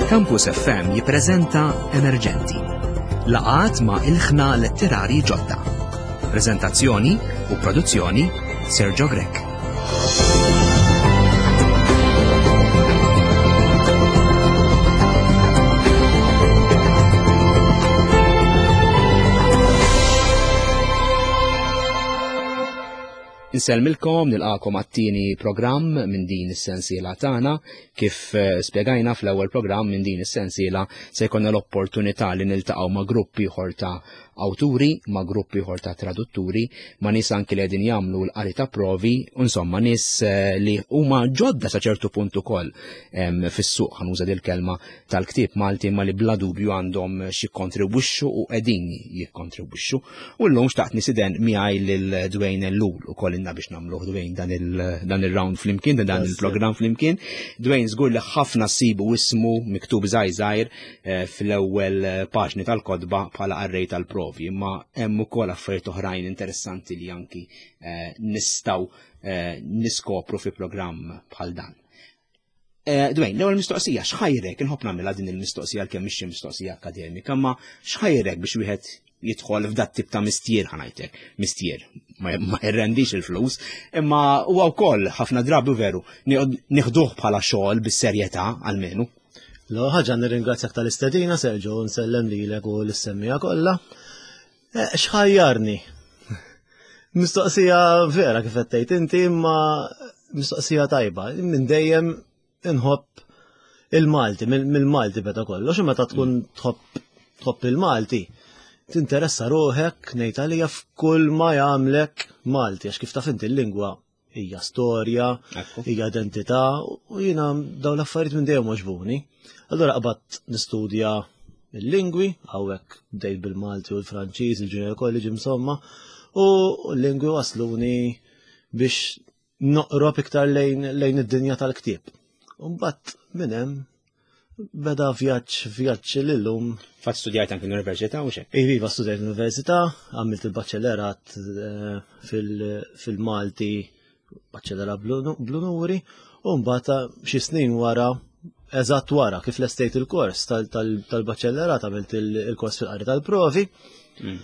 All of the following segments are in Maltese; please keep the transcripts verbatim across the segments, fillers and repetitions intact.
Campus F M jippreżenta Emerġenti. Laqgħat ma' ilħna letterari ġodda. Preżentazzjoni u produzzjoni Sergio Grech. Insellmilkom, nilqakom għat-tieni programm minn din is-sensiela tagħna. Kif, eh, spjegajna fl-ewwel programm minn din is-sensiela se jkollna l-opportunità li niltaqgħu ma' grupp ieħor ta' awturi, ma' grupp ieħor ta' tradutturi, ma' nies anki li qegħdin jagħmlu l-qari ta' provi, u insomma nies, eh, li huma ġodda sa ċertu punt ukoll, em, fis-suq, ħanuża dil kelma tal-ktieb Malti, ma li bla dubju għandhom xi jikkontribwixxu u qegħdin jikkontribwixxu. U llum xtaqt nisiden miegħi lil Dwayne Ellul ukoll inna biex nagħmluh Dwayne dan il-, dan il-round flimkien, dan Yes. il-programm flimkien. Dwayne żgur li ħafna ssibu ismu miktub żgħir żgħir, eh, fl-ewwel paġni tal-kotba bħala qarrej tal-provi, imma hemm ukoll affarijiet oħrajn interessanti li anki, eh, nistgħu, eh, niskopru fi programm bħal dan. Eh, Dwayne, l-ewwel mistoqsija, x'ħajrek? Inħobb nagħmilha din il-mistoqsija għalkemm mhix xi mistoqsija akademika, imma x'ħajrek biex wieħed jidħol f'dat tip ta' mistier, ħanajtek, mistier, ma, ma jirrendix il-flus, imma huwa wkoll ħafna drabi veru nieħd-, nieħduh bħala xogħol bis-serjetà almenu. L-ewwel ħaġa nirringrazzjak tal-istedina, Sergio, u nsellem lilek u l-semmija kollha. Eh, x'ħajjarni? Mistoqsija vera kif qed tgħid inti, imma mistoqsija tajba. Minn dejjem inħobb il-Malti, mill-, mill-Malti beda kollox, u meta tkun tħobb, tħobb il-Malti, tinteressa ruħek ngħid għalija f'kull ma jagħmlek Malti, għax kif taf inti l-lingwa hija storja, Ekku. hija identità, u jiena dawn l-affarijiet minn dejjem għoġbuni. Allura qbadt nistudja il-lingwi, hawnhekk bdejt bil-Malti u l-Franċiż, il-Junior College insomma, u l-lingwi wasluni biex noqrob iktar lejn, lejn id-dinja tal-ktieb. U mbagħad minn hemm beda vjaġġ, vjaġġ lillum. Fatt studjajt anke l-università u xek? Iva, iva, studjajt l-università, għamilt il-baċellerat, eh, fil-, fil-Malti, baċellerat bl-unu-, bl-unuri, u mbagħad xi snin wara, eżatt wara kif lestejt il-kors tal-, tal-, tal-baċellerat, għamilt il-, il-kors fil-qari tal-provi. Mm.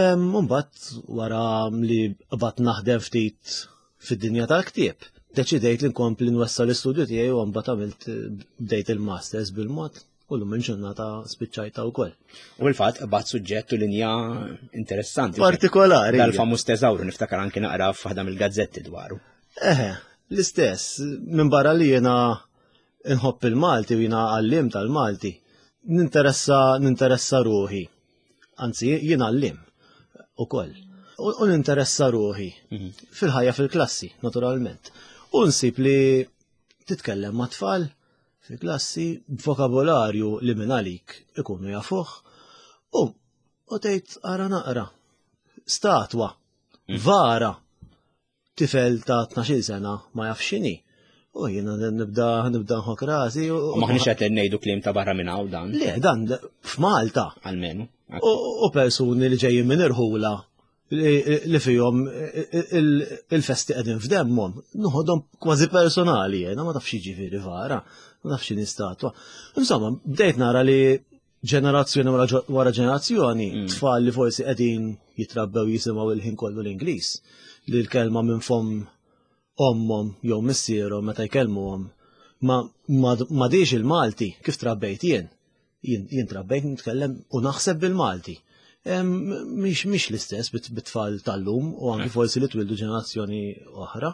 Em, u mbagħad wara li qbadt naħdem ftit fid-dinja tal-ktieb, deċidejt li nkompli nwessa l-istudju tiegħi u mbagħad għamilt bdejt il-masters bil-mod u llum il-ġurnata spiċċajta wkoll. U fil-fatt qbadt suġġett u linja interessanti. Partikolari. Dal-famuż teżawru niftakar anke naqra f'waħda mill-gazzetti dwaru. Eħe, l-istess, minn barra li jiena nħobb il-Malti u jiena għallim tal-Malti, ninteressa, ninteressa ruħi. Anzi, jiena għallim ukoll. U, u ninteressa ruħi Mhm. fil-ħajja fil-klassi, naturalment. U nsib li titkellem ma' tfal fil-klassi b'vokabolarju li minn għalik ikunu jafuh u, u tgħid ara naqra. Statwa, Mm. vara, tifel ta' tnax-il sena ma jafx x'inhi. U jiena nibda, nibda nħok rasi u- U maħniex qed ngħidu kliem ta' barra minn hawn dan. Le, dan f'Malta. Almenu. U, u persuni li ġejjin minn irħula li, li fihom il-, il-festi qegħdin f'demmhom, noħodhom kważi personali, jiena ma tafx jiġifieri vara, ma tafx x'inhi statwa. Insomma, bdejt nara li ġenerazzjoni wara ġo-, wara ġenerazzjoni, Mm. tfal li forsi qegħdin jitrabbew jisimgħu il-ħin kollu l-Ingliż, li l-kelma minn fomm ommhom jew missierhom meta jkellmuhom ma, ma, ma diex il-Malti kif trabbejt jien. Jien, jien trabbejt nitkellem u naħseb bil-Malti. Em, mhix, mhix l-istess bit-, bit-tfal tal-lum u anki Eh. forsi li twildu ġenerazzjoni oħra.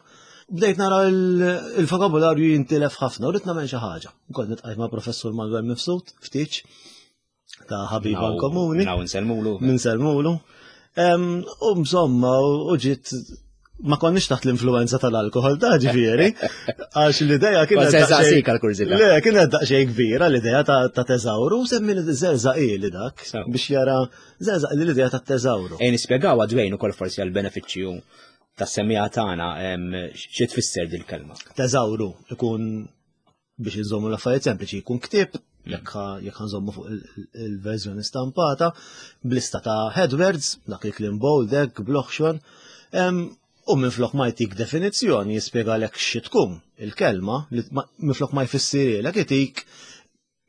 Bdejt nara il-, il-vokabularju jintilef ħafna u rrid nagħmel xi ħaġa. Kont nitqajt ma' professur Manuel Mifsud ftit ta' ħabiba Naw- komuni. Naw nsellmulu. Nsellmulu. Em, u insomma, u ġiet ma konniex taħt l-influenza tal-alkohol ta' ġifieri, għax l-idea kienet Kont se daqsxejn saqsik għal-kurżità. Le, kienet daqsxejn kbira l-idea ta', ta' teżawru, semmi li żerżaq ili dak Sew. biex jara żerżaq li l-idea ta' teżawru. Ejn nispjegaw għadwejn ukoll forsi għall-benefiċċju tas-semmiegħa tagħna, em, xi tfisser dil-kelma? Teżawru ikun biex inżommu l-affarijiet sempliċi, jkun ktieb, Mm. jekk ħa-, jekk ħanżommu fuq il-, il-, il-verżjoni stampata, blista ta' headwords, dak il-kliem bold, hekk, bloħxon, em, u minflok ma jtik definizzjoni jispjegalek xi tkun il-kelma, li ma-, minflok ma jfissirilek itik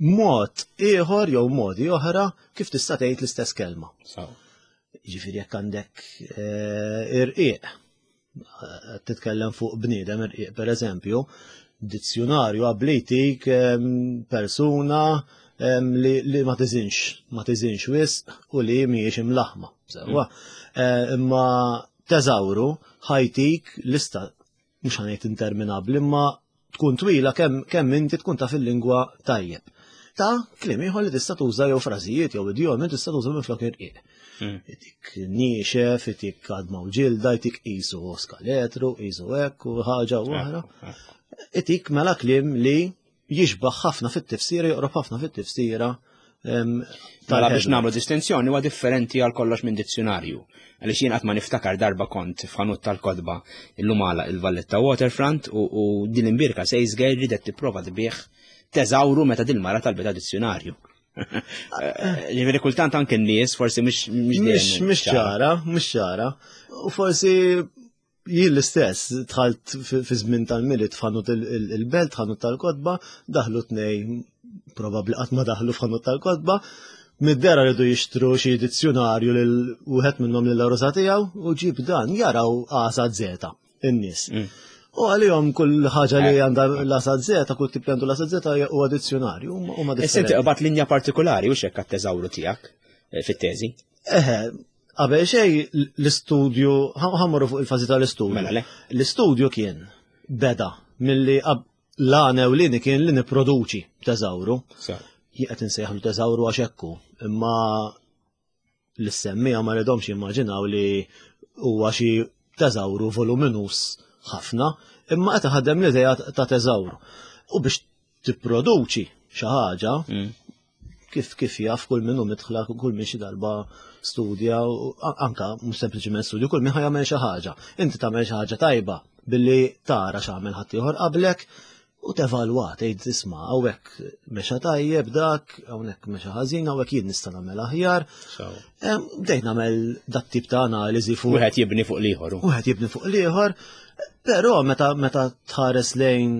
mod ieħor jew modi oħra kif tista' tgħid l-istess kelma. Ġifieri jekk għandek eh, irqiq, eh, titkellem fuq bniedem irqiq pereżempju, dizzjonarju ablitik persuna li, li ma tiżinx, ma tiżinx wisq u li mhijiex imlaħma. Sewwa. Mm. Eh, imma teżawru ħajtik lista mhux ħanejt interminabbli imma tkun twila kemm kemm inti tkun taf il-lingwa tajjeb. Ta' kliem ieħor li tista' tuża jew frażijiet jew idjomi tista' tuża minflok irqiq. Mm. Itik niexef, itik għadma u ġilda, itik qisu skaletru, qisu hekk u ħaġa u oħra. Itik mela kliem li jixbaħ ħafna fit-tifsira, joqrob ħafna fit-tifsira. Mela biex nagħmlu distinzjoni huwa differenti għal kollox minn dizzjonarju. Għaliex jien qatt ma niftakar darba kont f'ħanut tal-kotba illum għala il-Valletta Waterfront u, u din imbirka sales girl ridet tipprova tbigħ teżawru meta din mara talbet dizzjonarju. Ġifieri kultant anke n-nies forsi mhux mhux mhux ċara, mhux ċara. U forsi jien l-istess, dħalt fi żmien tal-Milied f'ħanut il-belt, ħanut tal-kotba, daħlu tnej, probabbli qatt ma daħlu f'ħanut tal-kotba, mid-dera rridu jixtru xi dizzjonarju lil wieħed minnhom lil rosa tiegħu u ġib dan jaraw għasa zeta in-nies. Mm. U għalihom kull ħaġa li eh. għandha l-asa zeta, kull tip li għandu l-asa zeta huwa dizzjonarju. Huma differenti. Inti qbad linja partikolari u xekk għat-teżawru tiegħek eh, fit-teżi. Eħe, qabel xej l-istudju, ħammorru fuq il-fażi tal-istudju. Mela le. L-istudju kien beda milli l-għan ewlieni kien li nipproduċi teżawru. Jien qed insejħlu teżawru għax hekk hu, imma l-semmija ma rridhomx jimmaġinaw li huwa xi teżawru voluminus ħafna, imma qed ħaddem l-idea ta' teżawru. U biex tipproduċi xi ħaġa, mm. kif kif jaf kull minnu midħla, kull min xi darba studja, anka mhux sempliċiment studju, kull min ħajamel xi ħaġa. Inti tagħmel xi ħaġa tajba billi tara x'għamel ħaddieħor qablek u tevalwa tgħid isma' hawnhekk mexa tajjeb dak, hawnhekk mexa ħażin, hawnhekk jien nista' nagħmel aħjar. Bdejt nagħmel dat tip ta' analiżi fuq. Wieħed jibni fuq l-ieħor. Wieħed jibni fuq l-ieħor, però meta meta tħares lejn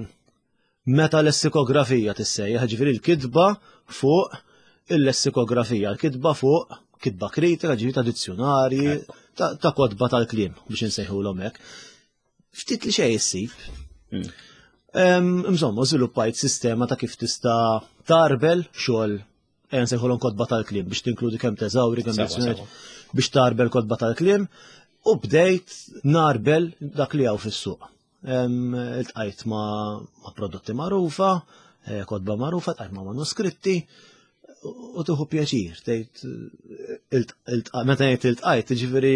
meta lessikografija tissejjaħ, ġifieri l-kitba fuq il-lessikografija, l-kitba fuq kitba kritika, ġifieri ta' dizzjonarji, ta' kotba tal-kliem biex insejħulhom hekk. Ftit li xejn issib. Hmm. Insomma, żviluppajt sistema ta' kif tista' tarbel xogħol ejja nsejħulhom kotba tal-kliem biex tinkludi kemm teżawri, kemm dizzjonarji, biex tarbel kotba tal-kliem u bdejt narbel dak li hawn fis-suq. Iltqajt ma' prodotti magħrufa, eh, kotba magħrufa, tqajt ma' manuskritti, u tuħu pjaċir, tgħid meta ngħid iltqajt, ġifieri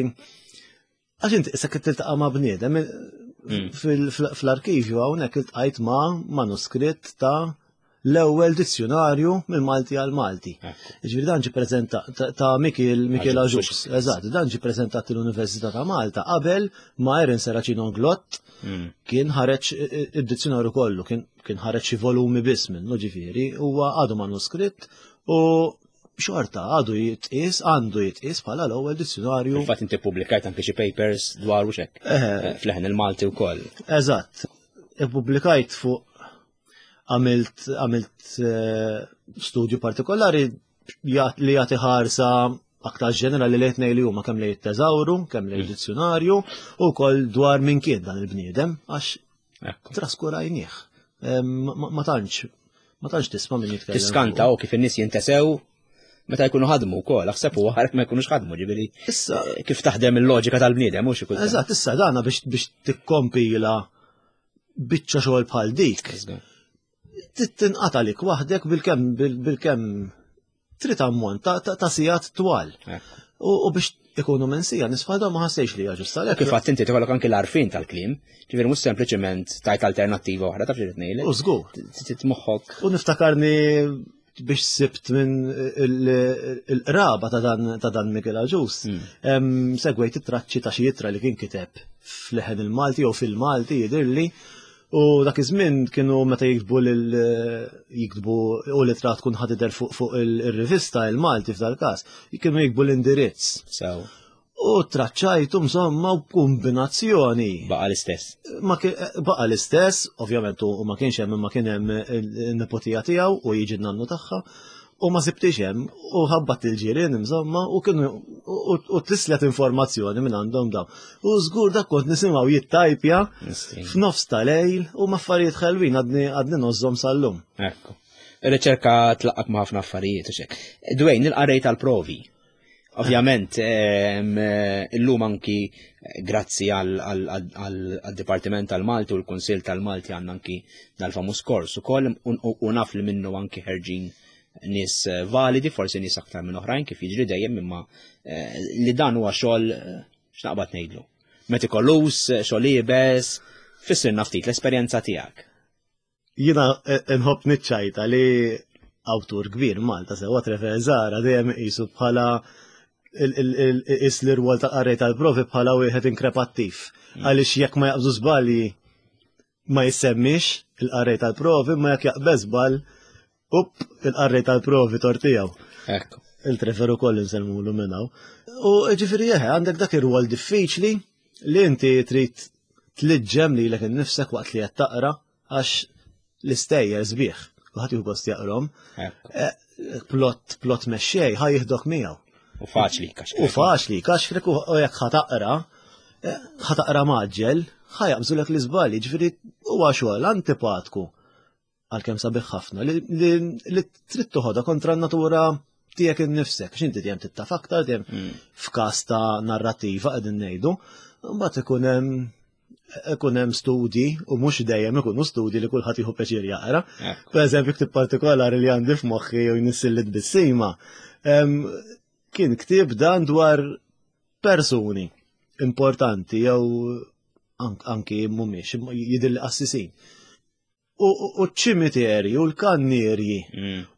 għax inti issa kif tiltaqa' ma' bniedem mm. fl-arkivju hawnhekk iltqajt ma' manuskritt ta' l-ewwel dizzjonarju mill-Malti għal Malti. Ġifieri dan ġi preżentat ta' Mikil Mikil Aġus, eżatt, dan ġi preżentat l-Università ta' Malta qabel ma' Erin Serracino Glott mm. kien ħareġ id-dizzjonarju kollu, kien kien ħareġ xi volumi biss minnu ġifieri, huwa għadu manuskritt u xorta għadu jitqies, għandu jitqies bħala l-ewwel dizzjonarju. Infatti inti ppubblikajt anke xi papers dwar u xek. Eh, fl-leħen il-Malti wkoll. Eżatt. Ippubblikajt fuq għamilt għamilt eh, studju partikolari li jagħti ħarsa aktar ġenerali li tnej li huma kemm li jitteżawru, kemm li mm. dizzjonarju u wkoll dwar min kien dan il-bniedem għax traskurajnieh. Ma tantx ma tantx tisma' min jitkellem. Tiskanta u kif in-nies jintesew meta jkunu ħadmu wkoll, aħseb u ħarek ma jkunux ħadmu, ġifieri. Issa eh, kif taħdem il-loġika tal-bniedem mhux ikun. Eżatt, issa dana biex biex tikkompila biċċa xogħol bħal dik. Tinqata' lik waħdek bil-kemm bil-kemm trid ammont ta' sigħat twal. U biex ikunu mensija nisfadhom ma ħassejx li hija ġusta. Kif għadt inti tikollok anki l-għarfien tal-kliem, ġifieri mhux sempliċement tajt alternattiva oħra taf xi ngħidlek. U żgur. Trid moħħok. U niftakarni biex sibt minn il-qraba ta' dan ta' dan Miguel Aġus. Hmm. Segwejt it-traċċi ta' xi ittra li kien kiteb fl-leħen il-Malti jew fil-Malti jidhirli U dak iż-żmien kienu meta jiktbu lil jiktbu u l-ittra tkun ħa tidher fuq fuq il-rivista il-Malti f'dal-każ, kienu jiktbu l-indirizz. Sew. U traċċajtu insomma u kombinazzjoni. Baqa l-istess. Ma baqa l-istess, ovvjament u ma kienx hemm, ma kien hemm il-nepotija tiegħu u jiġi n-nannu tagħha, u ma sibtix hemm u ħabbat il-ġirien insomma u kienu u tislet informazzjoni minn għandhom daw. U żgur dak kont nisimgħu jittajpja f'nofs tal-lejl u ma affarijiet ħelwin għadni għadni nożżhom sal-lum. Ekku. Ir-riċerka tlaqqak ma' ħafna affarijiet u xek. Dwayne, il-qarrej tal-provi. Ovvjament, illum anki grazzi għal-Dipartiment tal-Malti u l-Kunsill tal-Malti għandna anki dal-famuż kors ukoll u naf li minnu anki ħerġin nies validi, forsi nies aktar minn oħrajn kif jiġri dejjem, imma li dan huwa xogħol x'naqbad ngħidlu. Metikolus, xogħol iebes, fissirna ftit l-esperjenza tiegħek. Jiena nħobb niċċajta li awtur kbir Malta sewwa Trevor Zahra dejjem iqisu bħala is l-irwol ta' qarrej tal-provi bħala wieħed inkrepattiv. Għaliex jekk ma jaqbżu żbalji ma jissemmix il-qarrej tal-provi, ma jekk jaqbeż żball, up, il-qarrej tal-provi tortijaw. Ekku. Il-Trevor ukoll insellmulu minn hawn. U ġifieri eħe, għandek dak ir-rwol diffiċli li inti trid tliġġem lilek innifsek waqt li qed taqra, għax l-istejjer sbieħ, kulħadd jieħu gost jaqrom. Plot, plot mexxej ħa jieħdok miegħu. U faċli kaxkrek. U faċli kaxkrek u jekk ħa taqra, ħa taqra maġġel, ħa jaqbżulek l-iżbalji, ġifieri huwa xogħol antipatku għalkemm sabiħ ħafna li, li, li trid toħodha kontra n-natura tiegħek innifsek, għax inti dejjem tittaf aktar, dejjem f'każ ta' narrativa qegħdin ngħidu, mbagħad ikun hemm ikun hemm studji u mhux dejjem ikunu studji li kulħadd jieħu pjaċir jaqra. Per eżempju, ktieb partikolari li għandi f'moħħi u jnissil tbissima, kien ktieb dan dwar persuni importanti jew anki mhumiex jidhirli qassisin. U ċ-ċimiterji u l-kannierji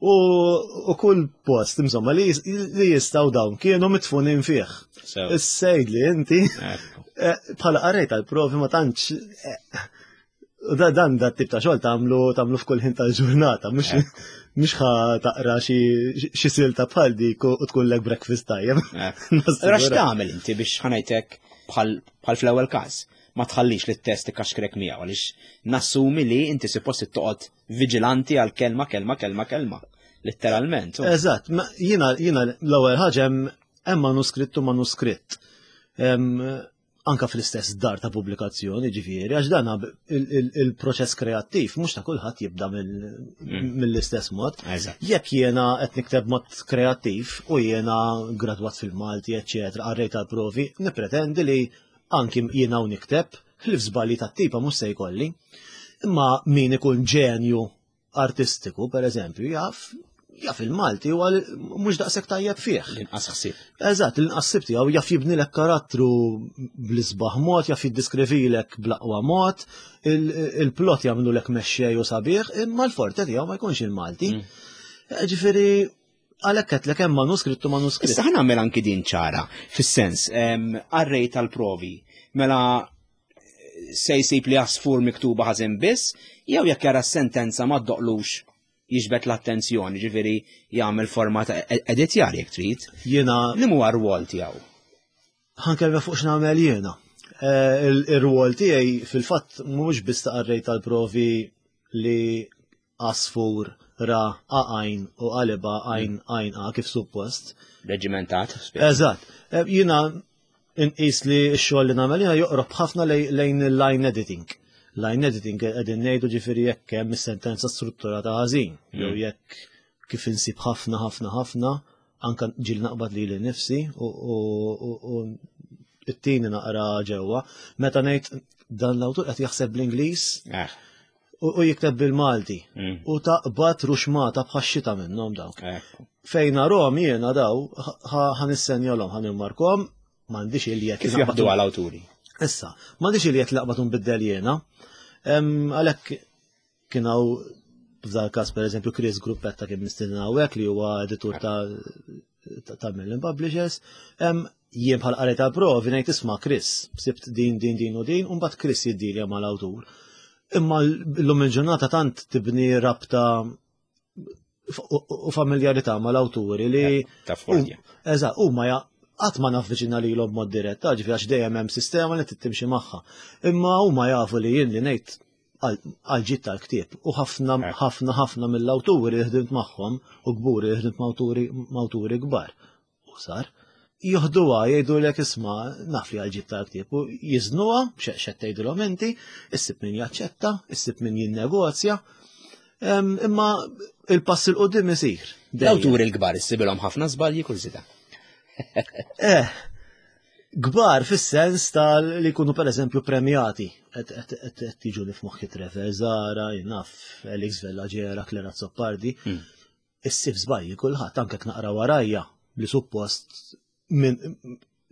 u kull post insomma li jistgħu dawn kienu mitfunin fih. Is-sejd li inti bħala qarrej tal-provi ma tantx da dan da tip ta' xogħol tagħmlu tagħmlu f'kull ħin tal-ġurnata, mhux mhux ħa taqra xi silta bħal dik u tkun lek breakfast tajjeb. Ra x'tagħmel inti biex ħanajtek bħal fl-ewwel każ? Ma tħallix li t-test ikaxkrek miegħu għaliex nassumi li inti suppost toqgħod viġilanti għal kelma, kelma, kelma, kelma. Letteralment. Eżatt, jiena jiena l-ewwel ħaġa hemm manuskritt u manuskritt. Anka fl-istess dar ta' pubblikazzjoni, ġifieri, għax dan il-proċess kreattiv mhux ta' kulħadd jibda mill-istess mod. Jekk jiena qed nikteb mod kreattiv u jiena gradwat fil-Malti, eċċetera, qarrej tal-provi, nippretendi li anki jiena u nikteb, li f'żbalji tat-tipa mhux se jkolli. Imma min ikun ġenju artistiku, per eżempju, jaf jaf il-Malti u mhux daqshekk tajjeb fih. L-inqas ħsieb. Eżatt, l-inqas ħsieb tiegħu jaf jibnilek karattru bl-isbaħ mod, jaf jiddiskrivilek bl-aqwa mod, il-plot jagħmlulek mexxej u sabiħ, imma l-forte tiegħu ma jkunx il-Malti. Ġifieri għalhekk qedlek hemm manuskritt u manuskritt. Issa ħa nagħmel anki din ċara, fis-sens, qarrej tal-provi, mela se jsib li għasfur miktuba ħażin biss, jew jekk jara s-sentenza ma ddoqlux jiġbed l-attenzjoni, ġifieri jagħmel forma ta' editjar jekk trid. Jiena li huwa r-rwol tiegħu? Ħankellem fuq x'nagħmel jiena. Ir-rwol tiegħi fil-fatt mhux biss ta' qarrej tal-provi li għasfur ra għajn u qalba għajn għajn a kif suppost. Reġimentat. Eżatt. Jiena inqis li x-xogħol li nagħmel jiena joqrob ħafna lejn il-line editing. Line editing qegħdin ngħidu ġifieri jekk hemm is-sentenza strutturata ħażin, jew jekk kif insib ħafna ħafna ħafna, anka ġil naqbad lili nnifsi u it-tieni naqra ġewwa. Meta ngħid dan l-awtur qed jaħseb bl-Ingliż u jikteb bil-Malti u taqbad ruxmata bħax-xita minnhom dawk. Fejn narhom jiena daw ħanissenjalhom, ħanimmarkhom, m'għandix il-jett Kif jaħdu għall-awturi? Issa, m'għandix il-jett laqbad nbiddel jiena. Għalhekk kien hawn f'dal każ pereżempju Chris Gruppetta kien mistieden hawnhekk li huwa editur ta' ta' Merlin Publishers. Jien bħal qarrej tal-provi ngħid isma' Chris, sibt din, din, din u din, u mbagħad Chris jiddilja mal-awtur. Imma llum il-ġurnata tant tibni rabta u familjarità mal-awturi li Ta' fordja. Eżatt, huma Qatt ma navviċina lilhom b'mod dirett, ġifieri għax dejjem hemm sistema li tittimxi magħha. Imma huma jafu li jien li ngħid għal-ġid tal-ktieb u ħafna ħafna ħafna mill-awturi li ħdimt magħhom u kburi li ħdimt ma' awturi kbar. U sar joħduha jgħidulek isma' naf li għal-ġid tal-ktieb u jiżnuha x'qed tgħidilhom inti, issib min jaċċetta, issib min jinnegozja. Imma il-pass 'il quddiem isir. L-awturi l-kbar issibilhom ħafna żbalji kurżità. Eh, kbar fis-sens tal li jkunu per eżempju premjati. Qed tiġu li f'moħħi Trevor Zahra, naf, Alex Vella Gera, Clare Azzopardi. Hmm. Issib żbalji kulħadd anke naqra warajja li suppost minn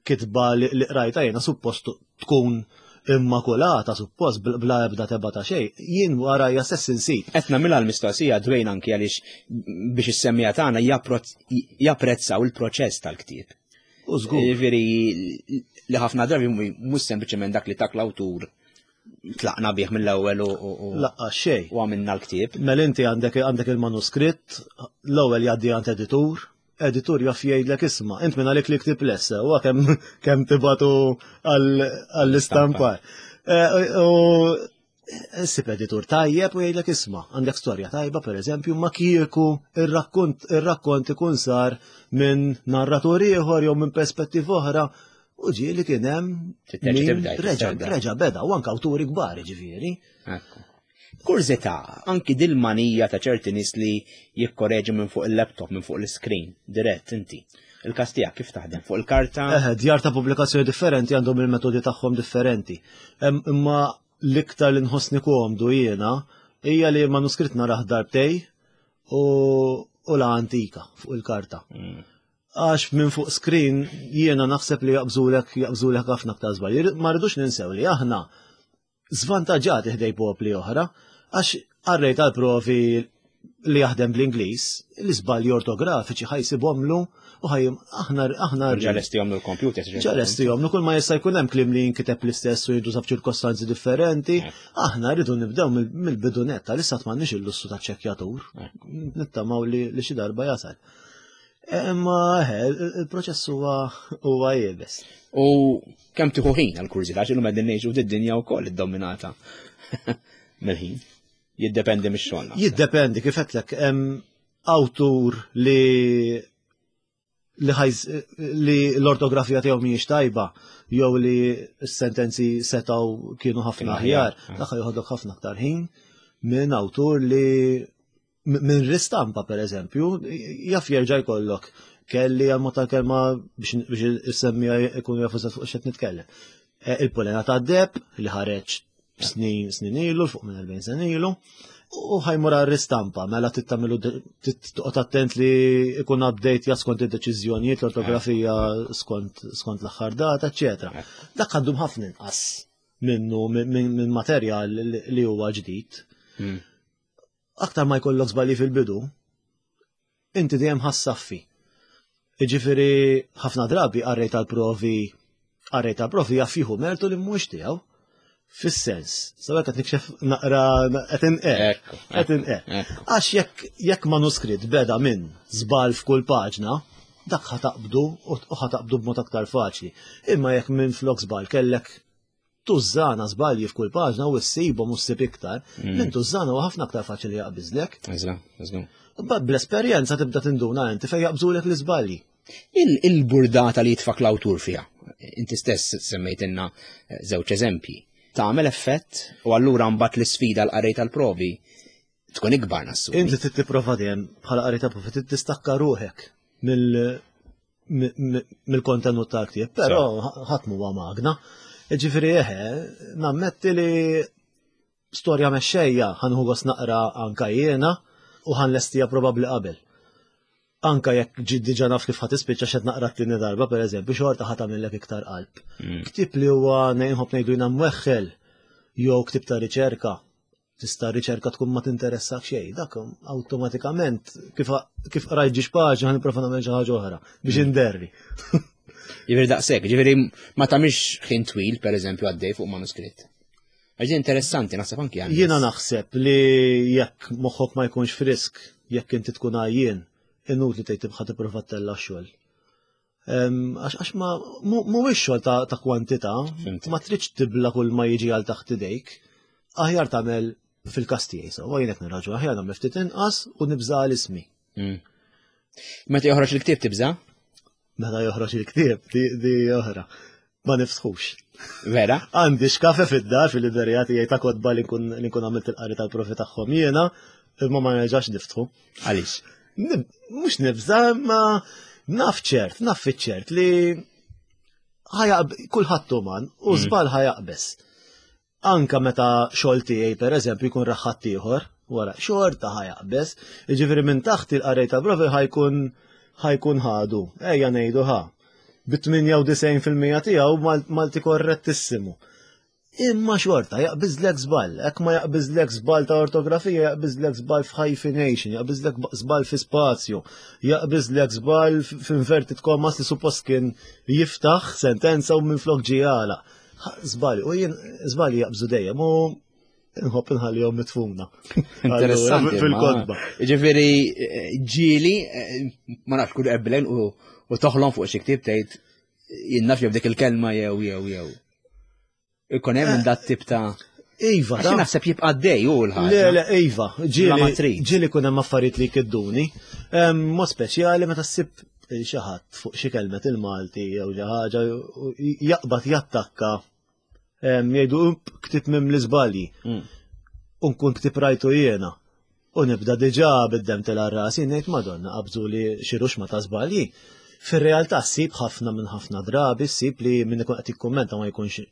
kitba li qrajta jiena suppost tkun immakulata suppost bla ebda tebgħa ta' xejn, jien warajja stess insib. Qed nagħmilha l-mistoqsija Dwayne anki għaliex biex is-semmiegħa tagħna japprezzaw il-proċess tal-ktieb. U żgur. Jiġifieri li ħafna drabi mhux sempliċement dak li tak l-awtur tlaqna bih mill-ewwel u Laqqa xejn. U għamilna l-ktieb. Mela inti għandek għandek il-manuskritt, l-ewwel jgħaddi għand editur, editur jaf jgħidlek isma' int minn għalik li ktib lessa, u kemm kemm tibatu għall-istampar. Eh, u ssib editur tajjeb u jgħidlek isma' għandek storja tajba per eżempju, ma kieku ir-rakkont ir-rakkont ikun sar minn narratur ieħor jew minn perspettiva oħra u ġieli kien hemm reġa' reġa' beda u anke awturi kbar ġifieri. Kurżità, anki dil-manija ta' ċerti nies li jikkoreġu minn fuq il-laptop, minn fuq l-screen, dirett inti. Il-każ tiegħek kif taħdem? Fuq il-karta? Eh, djar ta' pubblikazzjoni differenti għandhom il-metodi tagħhom differenti. Imma l-iktar li nħossni komdu jiena hija li manuskritt narah darbtejn u u la antika fuq il-karta. Mm. Għax minn fuq screen jiena naħseb li jaqbżulek jaqbżulek ħafna aktar żball. Ma rridux ninsew li aħna zvantaġġati ħdejn popli oħra, għax qarrej tal-provi li jaħdem bl-Ingliż, l-iżbalji ortografiċi ħa jsibhomlu u ħaj aħna aħna Ġa lesti jagħmlu l-computer. Ġa lesti jagħmlu kull ma jista' jkun hemm kliem li jinkiteb l-istess u jintuża f'ċirkostanzi differenti. Aħna rridu nibdew mill-bidu netta, issa m'għandniex il-lussu ta' ċekkjatur. Nittamaw li xi darba jasal. Imma il-proċess huwa huwa iebes. U kemm tieħu ħin għall-kurżità għax illum qegħdin ngħixu d-dinja wkoll iddominata mill-ħin. Jiddependi mix-xogħol. Jiddependi kif għedtlek hemm awtur li li ħajz li l-ortografija tiegħu mhijiex tajba jew li s-sentenzi setgħu kienu ħafna aħjar, dak joħodok ħafna aktar ħin minn awtur li minn ristampa per eżempju, jaf jerġa' jkollok kelli għal tal-kelma biex is-semmiegħa ikunu jafu fuq x'qed nitkellem. E, Il-Pulena tad-Deheb li ħareġ snin snin ilu, fuq minn erbgħin sena ilu, u ħa jmur ristampa, mela tittamelu toqgħod attent li ikun update ja skont id-deċiżjonijiet, l-ortografija skont skont l-aħħar data, eċetera. Dak għandhom ħafna inqas minnu minn materjal li huwa ġdid. Hmm. Aktar ma jkollok żbalji fil-bidu, inti dejjem ħa ssaffi. Jiġifieri ħafna drabi qarrej tal-provi qarrej tal-provi jaf jieħu mertu li mhux tiegħu. Fis-sens, sawa qed nikxef naqra qed inqer. Qed inqer. Għax jekk jekk manuskritt beda minn żball f'kull paġna, dak ħa taqbdu u ħa taqbdu b'mod aktar faċli. Imma jekk minn flok żball kellek tużżana żbalji f'kull paġna u ssibhom u ssib iktar, mm. minn tużżana huwa ħafna aktar faċli jaqbiżlek. Eżra, eżra. Bl-esperjenza tibda tinduna inti fejn jaqbżulek l-iżbalji. Il-burdata li jitfak l-awtur fiha, inti stess semmejtilna eh, żewġ eżempji, tagħmel effett u allura mbagħad l-isfida l-qarrej tal-provi tkun ikbar nassu. Inti trid tipprova dejjem bħala qarrej tal-provi trid tistakka ruħek mill-kontenut tal-ktieb, però ħadd huwa magna. Ġifieri eħe, nammetti li storja mexxejja ħa nieħu gost naqra anka jiena u ħa nlestiha probabbli qabel. Anka jekk ġid diġà naf kif ħa tispiċċa xed naqra t-tieni darba, per eżempju, xorta ħa tagħmillek iktar qalb. Mm. Ktieb li huwa nħobb ngħidu jiena mweħħel jew ktieb ta' riċerka, tista' riċerka tkun ma tinteressak xejn, dak awtomatikament kif kif qrajt ġiex paġna ħa nipprova nagħmel xi ħaġa oħra biex mm. inderri. Jiġifieri daqshekk, jiġifieri ma tagħmilx ħin twil pereżempju għaddej fuq manuskritt. Għax interessanti, naħseb anki għan. Jiena naħseb li jekk moħħok ma jkunx frisk, jekk inti tkun għajjien, inutli tgħid tibqa' tipprova ttella' xogħol. Għax ma mhuwiex xogħol ta' kwantità, ma tridx tibla kull ma jiġi għal taħt idejk. Aħjar tagħmel fil-każ tiegħi, so jien qed nirraġu aħjar nagħmel ftit inqas u nibża' għal ismi. Mm. Meta joħroġ il-ktieb tibża'? Meta joħroġ il-ktieb, di oħra. Ma nifsħux. Vera? Għandi xkafe fid-dar fil-liberija tiegħi ta' kotba li nkun għamilt il-qari tal-profi tagħhom jiena, imma ma nerġax niftħu. Għaliex? Mhux nibża' imma naf ċert, naf fiċ-ċert li kulħadd uman u mm. żball ħajaqbeż. Anka meta xogħol tiegħi pereżempju jkun raħħat ieħor, wara xorta ħajaqbeż, jiġifieri minn taħt il-qarej ta' profi ħajkun ħajkun ħadu, ejja ngħidu ħa. Bi tmienja u disgħin fil-mija tiegħu Malti korrettissimu. Imma xorta jaqbiżlek żball, hekk ma jaqbiżlek żball ta' ortografija, jaqbiżlek żball f'hyphenation, jaqbiżlek żball fi spazju, jaqbiżlek żball f'inverted commas li suppost kien jiftaħ sentenza u minflok ġie għalaq. Żball, u jien żbalji jaqbżu dejjem u nħobb inħallihom mitfuna. Interessanti. Fil-kotba. Ġifieri ġieli, ma nafx kull eblen u toħlom fuq xi ktieb tgħid jien naf jew dik il-kelma jew jew jew. Ikun hemm minn dat tip ta' Iva, Għax naħseb jibqa' għaddej hu l-ħaġa. Le, le, iva, ġieli ġieli kun hemm affarijiet li jkidduni. Mod speċjali meta ssib xi ħadd fuq xi kelmet il-Malti jew xi ħaġa jaqbad jattakka jgħidu ktib mim l-iżbalji. Mm. U nkun ktib rajtu jiena. U nibda diġà bid-dem tela' rasi ngħid Madonna qabżu li xi ruxma ta' żbalji. Fir-realtà ssib ħafna minn ħafna drabi ssib li min ikun qed jikkummenta ma jkunx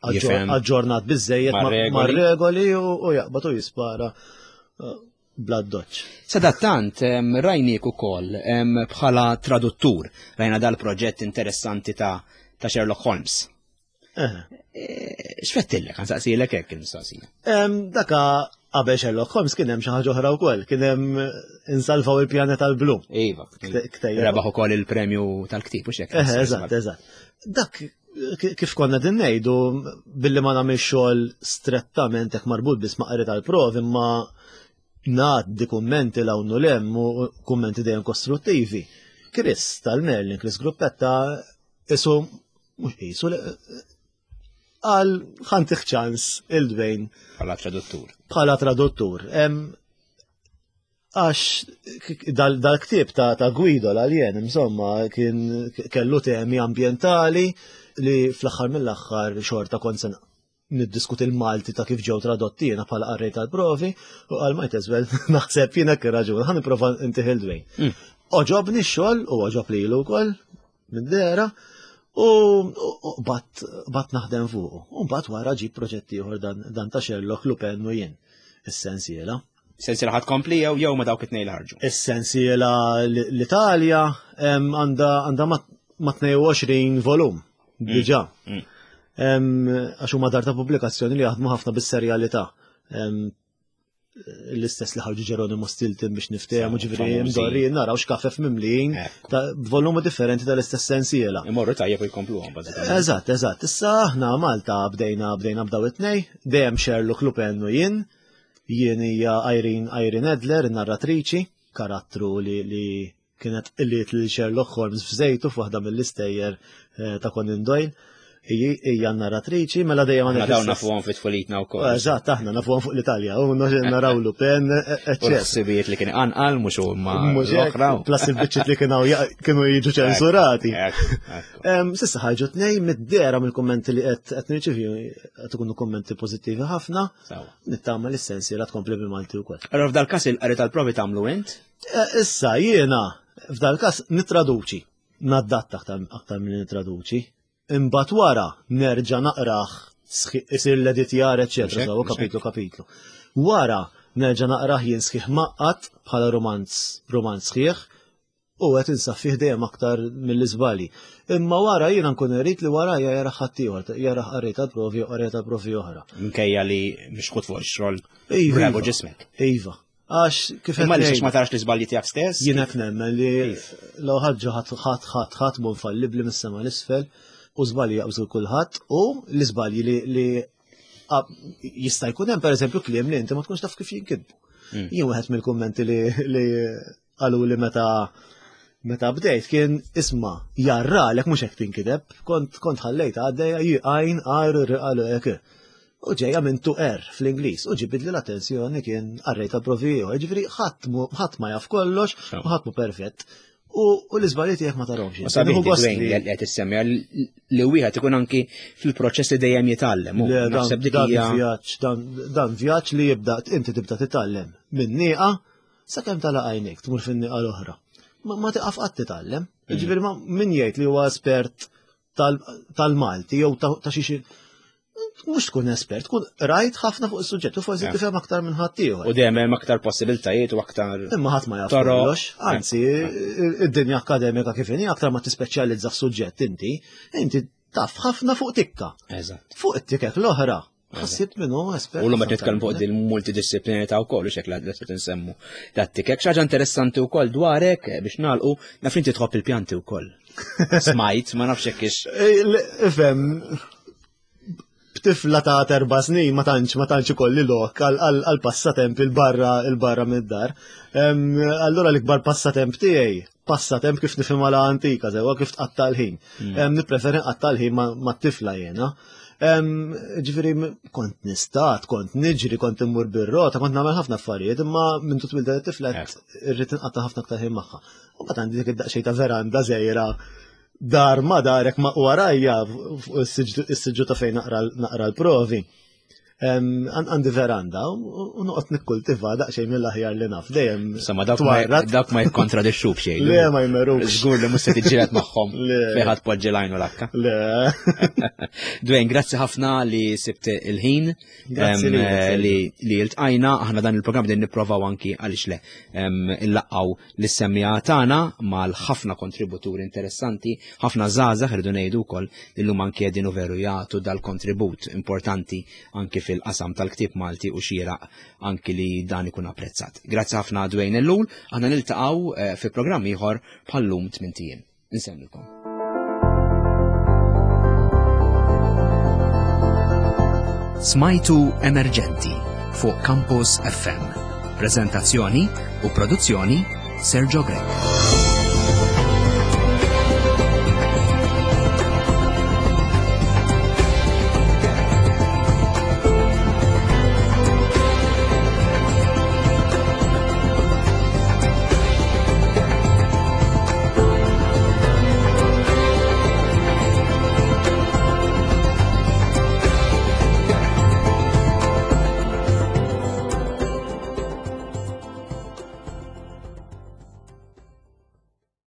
aġġornat biżejjed mar-regoli u jaqbad u jispara eh, bla doċ. Sadattant, rajnik ukoll bħala traduttur, rajna dal-proġett interessanti ta' ta' Sherlock Holmes. Eh. Eh, x'fettillek, għansaqsilek hekk il-mistoqsija. Daka qabel Sherlock Holmes kien hemm xi ħaġa oħra wkoll, kien hemm insalvaw il-pjaneta l-blu. Iva. Rebaħ ukoll il-premju tal-ktieb u x'hekk. Eżatt, eżatt. Dak kif konna din ngħidu billi ma nagħmel xogħol strettament hekk marbut biss ma' qari tal-provi imma ngħaddi kummenti l hawn u lem u kummenti dejjem kostruttivi. Chris tal-Merlin, Chris Gruppetta, isu mhux qisu għal ħantih ċans il-Dwayne. Bħala traduttur. Bħala traduttur. Għax dal-ktieb ta', ta Guido l-Aljen, insomma, kien kellu temi ambientali li fl-aħħar mill-aħħar xorta kont se niddiskuti l-Malti ta' kif ġew tradotti jiena bħala qarrej tal-provi u għal might as well naħseb jiena kien raġun, ħa nipprova ntih il-Dwayne. Mm. Oġobni x-xogħol u oġob lilu wkoll mid-dehra u bat bat naħdem fuqu. U mbagħad wara ġib proġett ieħor dan, dan ta' Sherlock Lupin u jien. Is-sensiela. Sensiela ħadd kompli jew jew ma dawk it-tnejn li ħarġu. Is-sensiela l-Italja għandha għandha ma' tnejn u għoxrin volum diġà. Mm. Għax huma dar ta' pubblikazzjoni li jaħdmu ħafna bis-serjalità. L-istess li ħarġu Geronimo Stilton biex niftehmu, ġifieri mdorri naraw x'kafef mimlijin ta' volumi differenti tal-istess sensiela. Imorru tajjeb u jkompluhom bażikament. Eżatt, eżatt. Issa aħna Malta bdejna bdejna b'daw it-tnej, dejjem Sherlock Lupin u jien. Jien hija Irene, Irene Adler, in-narratriċi, karattru li, li kienet qliet lil Sherlock Holmes f'żejtu f'waħda mill-istejjer eh, ta' Conan Doyle. Hija narratriċi, mela dejjem għandek. Dawn l-istess- nafuhom fit tfulitna wkoll. Eżatt, aħna nafuhom fuq l-Italja, u naraw Lupin, eċċetera. U l-ħsibijiet li kien anqal mhux huma Mhux hekk, l-oħra. plus il-biċċiet li kienu ja-, kienu jiġu ċensurati. Ekku, ekku. Em, Sissa ħarġu tnej mid-dera mill-kummenti li qed qed nirċivi qed ikunu kummenti pożittivi ħafna. Sawa. Nittama li s-sensi la tkompli bil-Malti wkoll. Allora f'dal każ il-qari tal-provi tagħmlu int? Eh, issa jiena f'dal każ nitraduċi, naddatta aktar, aktar milli nitraduċi. Imbagħad wara nerġa' naqrah sħi-, isir l-editjar, eċċetera, Mhux hekk, sawa mhux hekk. kapitlu kapitlu. Wara nerġa' naqrah jien sħiħ maqqat bħala romanz, romanz sħiħ u qed insaffih dejjem aktar mill-iżbali. Imma wara jiena nkun irid li wara jara ħadd ieħor, jara qarrej tal-provi u qarrej tal-provi oħra. Minkejja li mhix ħut fuq ix-xogħol Iva, bravo iva. ġismek. Iva. Għax kif Imma qed li ngħid, ma tarax l-iżbalji tiegħek stess? Jien qed nemmen li Kif? law ħaġa ħadd ħadd ħadd ħadd mhu infallibbli mis-sema l-isfel u żbalji jaqbżu kulħadd u l-iżbalji li, li a-, jista' jkun hemm pereżempju kliem li inti ma tkunx taf kif jinkitbu. Mm. Jien wieħed mill-kummenti li, li qalu li meta Meta bdejt kien isma' jarralek mhux hekk tinkiteb, kont kont ħallejt għaddejja għajn R R L E K. U ġejja minn to err fl-Ingliż u ġibidli l-attenzjoni kien qarrej ta' provi ieħor. Ġifieri ħadd ħadd ma jaf kollox u ħadd mu perfett. U l-iżbalji tiegħek ma tarahomx. U sabiħ li qed issemmi li wieħed ikun anki fil-proċess li dejjem jitgħallem. Naħseb dik hija vjaġġ, dan vjaġġ li jibda inti tibda titgħallem minn nieqa sakemm tagħlaq għajnejk tmur fin-nieqa l-oħra. Ma tiqaf qatt titgħallem. Mm. Ġifieri ma min jgħid li huwa espert tal-Malti jew ta' xi mhux tkun espert, tkun rajt ħafna fuq is-suġġett u forsi tifhem aktar minn ħadd ieħor. U dejjem hemm aktar possibiltajiet u aktar. Imma ħadd ma jaf kollox. Anzi, id-dinja akkademika kif inhi aktar ma tispeċjalizza f'suġġett inti, inti taf ħafna fuq tikka. Eżatt. Fuq it-tikek l-oħra. Ħassib minnu espert. U l-lum qed nitkellmu fuq din multidisciplinarità wkoll u xekk li qed insemmu. Dat-tikek xi ħaġa interessanti wkoll dwarek biex nagħlqu naf inti tħobb il-pjanti wkoll. Smajt, ma nafx hekk ix. Ifhem, b'tifla ta' erba' snin ma tantx ma tantx ikolli lok għal passatemp il-barra il-barra mid-dar. Allura l-ikbar passatemp tiegħi, passatemp kif nifhimha la antika, sewwa kif tqatta' l-ħin. Nippreferi nqatta' l-ħin mat-tifla jiena. Ġifieri kont nistat, kont niġri, kont immur bir-rota, kont nagħmel ħafna affarijiet, imma minn tut twilda t-tifla irrid inqatta' ħafna aktar ħin magħha. U mbagħad għandi dik id-daqsxejn ta' veranda żgħira dar ma darek ma warajja fuq is-siġġu ta' fejn naqra l-provi. Għandi veranda u noqgħod nikkultiva daqsxejn mill-aħjar li naf dejjem. Insomma, dawk ma jikkontradixxu b'xejn. Le, ma jmerux. Żgur li mhux se tiġġieled magħhom fejn ħadd poġġi l-għajn u l-akka. Le. Dwayne, grazzi ħafna li sibt il-ħin li li ltqajna. Aħna dan il-programm din nipprovaw anki għaliex le illaqgħu lis-semmiegħa tagħna mal-ħafna kontributuri interessanti, ħafna żgħażagħ irridu ngħidu wkoll li llum anki qegħdin u veru jagħtu dal-kontribut importanti anki fil-qasam tal-ktieb Malti u xieraq anki li dan ikun apprezzat. Grazzi ħafna Dwayne Ellul, aħna niltaqgħu fi programm ieħor bħal-lum tmint ijiem. Insellmilkom. Smajtu Emerġenti fuq Campus F M. Prezentazzjoni u produzzjoni Sergio Grech.